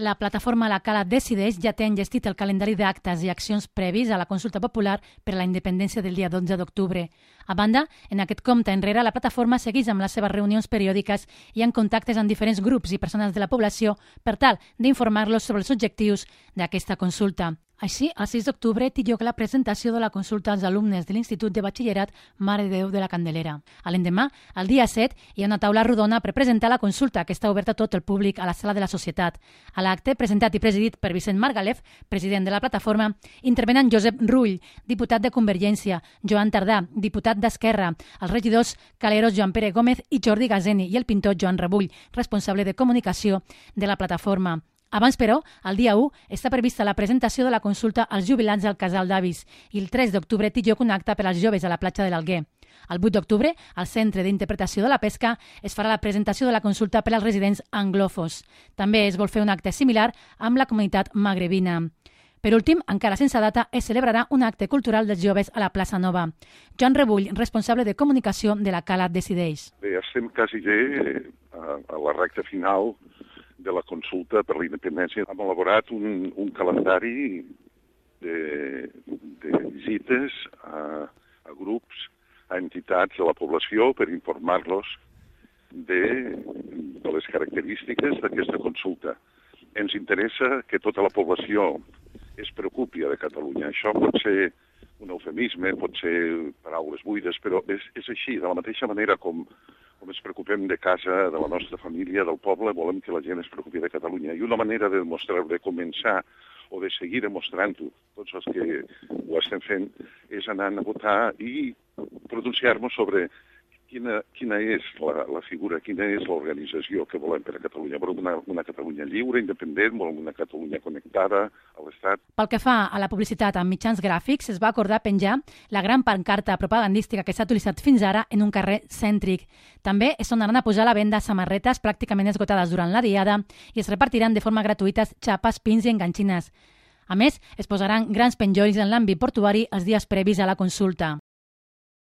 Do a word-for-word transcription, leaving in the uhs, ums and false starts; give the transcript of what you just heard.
La plataforma La Cala Decideix ja té enllestit el calendari d'actes i accions previs a la consulta popular per a la independència del dia dotze d'octubre. A banda, en aquest compte enrere, la plataforma segueix amb les seves reunions periòdiques i en contactes amb diferents grups i persones de la població per tal d'informar-los sobre els objectius d'aquesta consulta. Així, el sis d'octubre té lloc la presentació de la consulta als alumnes de l'Institut de Batxillerat Mare de Déu de la Candelera. A l'endemà, el dia set, hi ha una taula rodona per presentar la consulta, que està oberta a tot el públic a la Sala de la Societat. A l'acte, presentat i presidit per Vicent Margalef, president de la plataforma, intervenen Josep Rull, diputat de Convergència, Joan Tardà, diputat d'Esquerra, els regidors Caleros Joan Pere Gómez i Jordi Gazeni i el pintor Joan Rebull, responsable de comunicació de la plataforma. Abans, però, el dia u, està prevista la presentació de la consulta als jubilats del Casal d'Avis i el tres d'octubre té lloc un acte per als joves a la platja de l'Alguer. El vuit d'octubre, al Centre d'Interpretació de la Pesca, es farà la presentació de la consulta per als residents anglòfons. També es vol fer un acte similar amb la comunitat magrebina. Per últim, encara sense data, es celebrarà un acte cultural dels joves a la plaça Nova. Joan Rebull, responsable de comunicació de la Cala Decideix. Bé, estem quasi bé a, a la recta final de la consulta per la independència. Hem elaborat un, un calendari de, de visites a, a grups, a entitats de la població per informar-los de, de les característiques d'aquesta consulta. Ens interessa que tota la població es preocupi de Catalunya. Això pot ser un eufemisme, pot ser paraules buides, però és, és així. De la mateixa manera com, com ens preocupem de casa, de la nostra família, del poble, volem que la gent es preocupi de Catalunya. I una manera de demostrar, de començar o de seguir demostrant-ho, tots els que ho estem fent, és anar a votar i pronunciar-nos sobre quina, quina és la, la figura, quina és l'organització que volem per a Catalunya. Volem una, una Catalunya lliure, independent, volem una Catalunya connectada a l'Estat. Pel que fa a la publicitat amb mitjans gràfics, es va acordar penjar la gran pancarta propagandística que s'ha utilitzat fins ara en un carrer cèntric. També es tornaran a posar a la venda samarretes pràcticament esgotades durant la diada i es repartiran de forma gratuïta xapes, pins i enganxines. A més, es posaran grans penjolls en l'àmbit portuari els dies previs a la consulta.